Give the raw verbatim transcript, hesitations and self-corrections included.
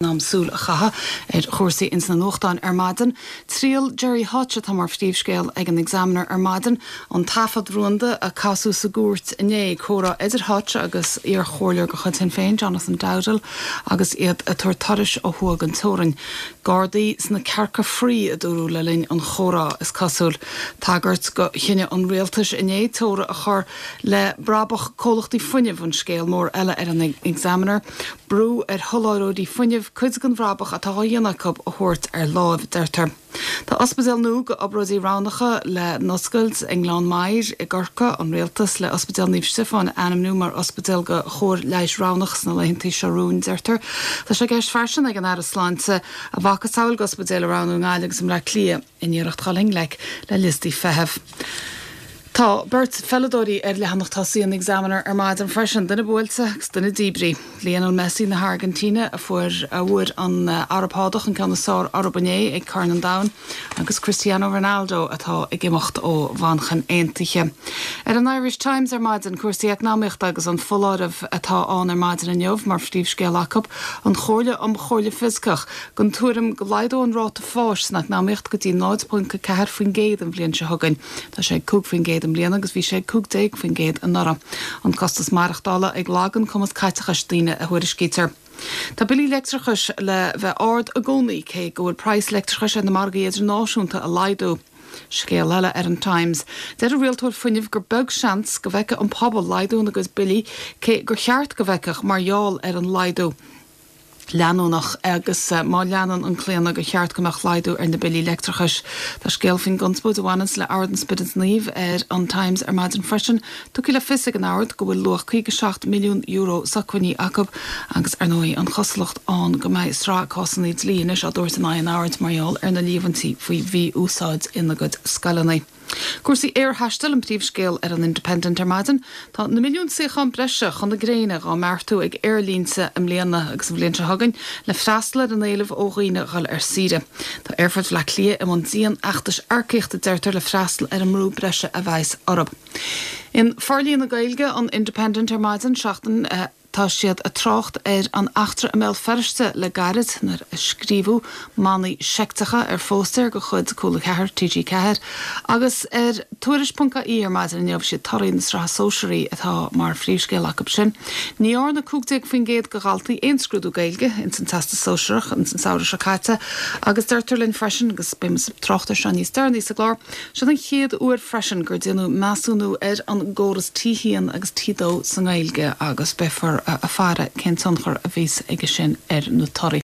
Am súil a chaitheamh ar chúrsaí ins na nuachtáin ar maidin. Triail Gerry Hutch atá mar phríomhscéal ag an Examiner ar maidin, an taifead rúnda a casadh sa gcúirt inné comhrá idir Hutch agus iarchomhairleoir de chuid Shinn Féin Jonathan Dowdall agus iad ag tabhairt turais ó thuaidh den teorainn. Gardaí sna cearca fraoigh a dúradh le linn an chomhrá is cosúil. Tagairt do chinneadh an rialtais inné teora a chur le brabach comhlachtaí fuinnimh an scéal mór eile ar an Examiner, brú ar sholáthróirí fuinnimh cuid den bhrabach atá á dhéanamh acu a thabhairt ar láimh deirtear. Tá ospidéal nua do obráidí roghnacha le n-oscailt i nGleann Maghair i gCorcaigh an rialtas le Ospidéal Naomh Stiofáin a ainmniú mar ospidéal do chóir leighis roghnach sna laethanta seo romhainn deirtear. Tá sé i gceist freisin ag an Aire Sláinte a mhacasamhail d'ospidéil a roghnú i nGaillimh agus i mBleá Cliath in iarracht dul i ngleic le liostaí feithimh. Tá beirt pheileadóirí ar leathanach tosaigh an Examiner ar maidin freisin, duine buailte agus duine díbrithe. Lionel Messi na hAirgintíne a fuair a bhfuair an Araib Shádach an ceann is fearr orthu inné ag Corn an Domhain agus Cristiano Ronaldo atá ag imeacht ó Mhanchain Aontaithe. Ar an Irish Times ar maidin cúrsaí eacnamaíochta agus an foláireamh atá ann ar maidin inniu mar phríomhscéal acu an Chomhairle um Chomhairle Fioscach den tuairim go laghdóidh an ráta fáis san eacnamaíocht go dtí náid ponc a ceathair faoin gcéad an bhliain seo chugainn. Tá sé ag cúig faoin gcéad i mbliana agus bhí sé cúig déag faoin gcéad anuraidh. An costas maireachtála ag lagú an cumas caiteachais daoine a thuairiscítear. Tá billí leictreachais le bheith ard i gcónaí cé go bhfuil praghas leictreachais ar na margaí idirnáisiúnta ag laghdú. Scéal eile ar an Times. Deir an rialtóir fuinnimh gur beag seans go bhfeicfidh an pobal laghdú ina gcuid billí cé gur cheart go bhfeicfeadh mar gheall ar an laghdú. leanúnach agus má leanann an claonadh gur cheart go mbeadh laghdú ar na billí leictreachais. Tá scéal faoin gconspóid a bhaineanns le Ord an Spioraid Naoimh ar an Times ar maidin freisin, tugtha le fios ag an Ord go bhfuil luach caoga seacht milliún euro socmhainní acu agus ar ndóigh an chosúlacht ann go mbeidh sraith cásanna dlí anois á dtabhairt in aghaidh an Oird mar gheall ar na líomhaintí faoi mhí-úsáid ina gcuid scoileanna. Cúrsaí aerthaistil an príomhscéal ar an Independent ar maidin, Tá na milliún suíochán breise chun na gréine á mbeartú ag aerlínte i mbliana agus an bhliain seo chugainn le freastal ar an éileamh ó dhaoine dhul ar saoire. Tá Aerfort Bhaile Átha Cliath i mbun dianfheachtais earcaíochta deirtear le freastal ar an mbrú breise a bheas orthu. In Forlíonadh Gaeilge an Independent ar maidin seachtain Tá siad ag trácht ar an eachtra i mBéal Feirste le gairid nuair a scríobhadh manaí seicteacha ar phóstaer de chuid Cúla Ceathair, TG Ceathair, agus ar Tuairisc ponc ie ar maidin inniu siad torthaí na Sraithe Sóisearaí atá mar phríomhscéal acu sin. Ní dhearna cúig déag faoin gcéad de dhaltaí aon scrúdú Gaeilge ins an Teastas Sóisearach ins an samhradh seo caite agus deirtear linn freisin, agus beidh muid ag trácht air seo níos deireanaí sa gclár, Siod an chéad uair freisin gur déanadh measúnú ar an gcóras T haon agus T dó sa nGaeilge agus beifear ag faire cén tionchar a bheas aige sin ar na torthaí.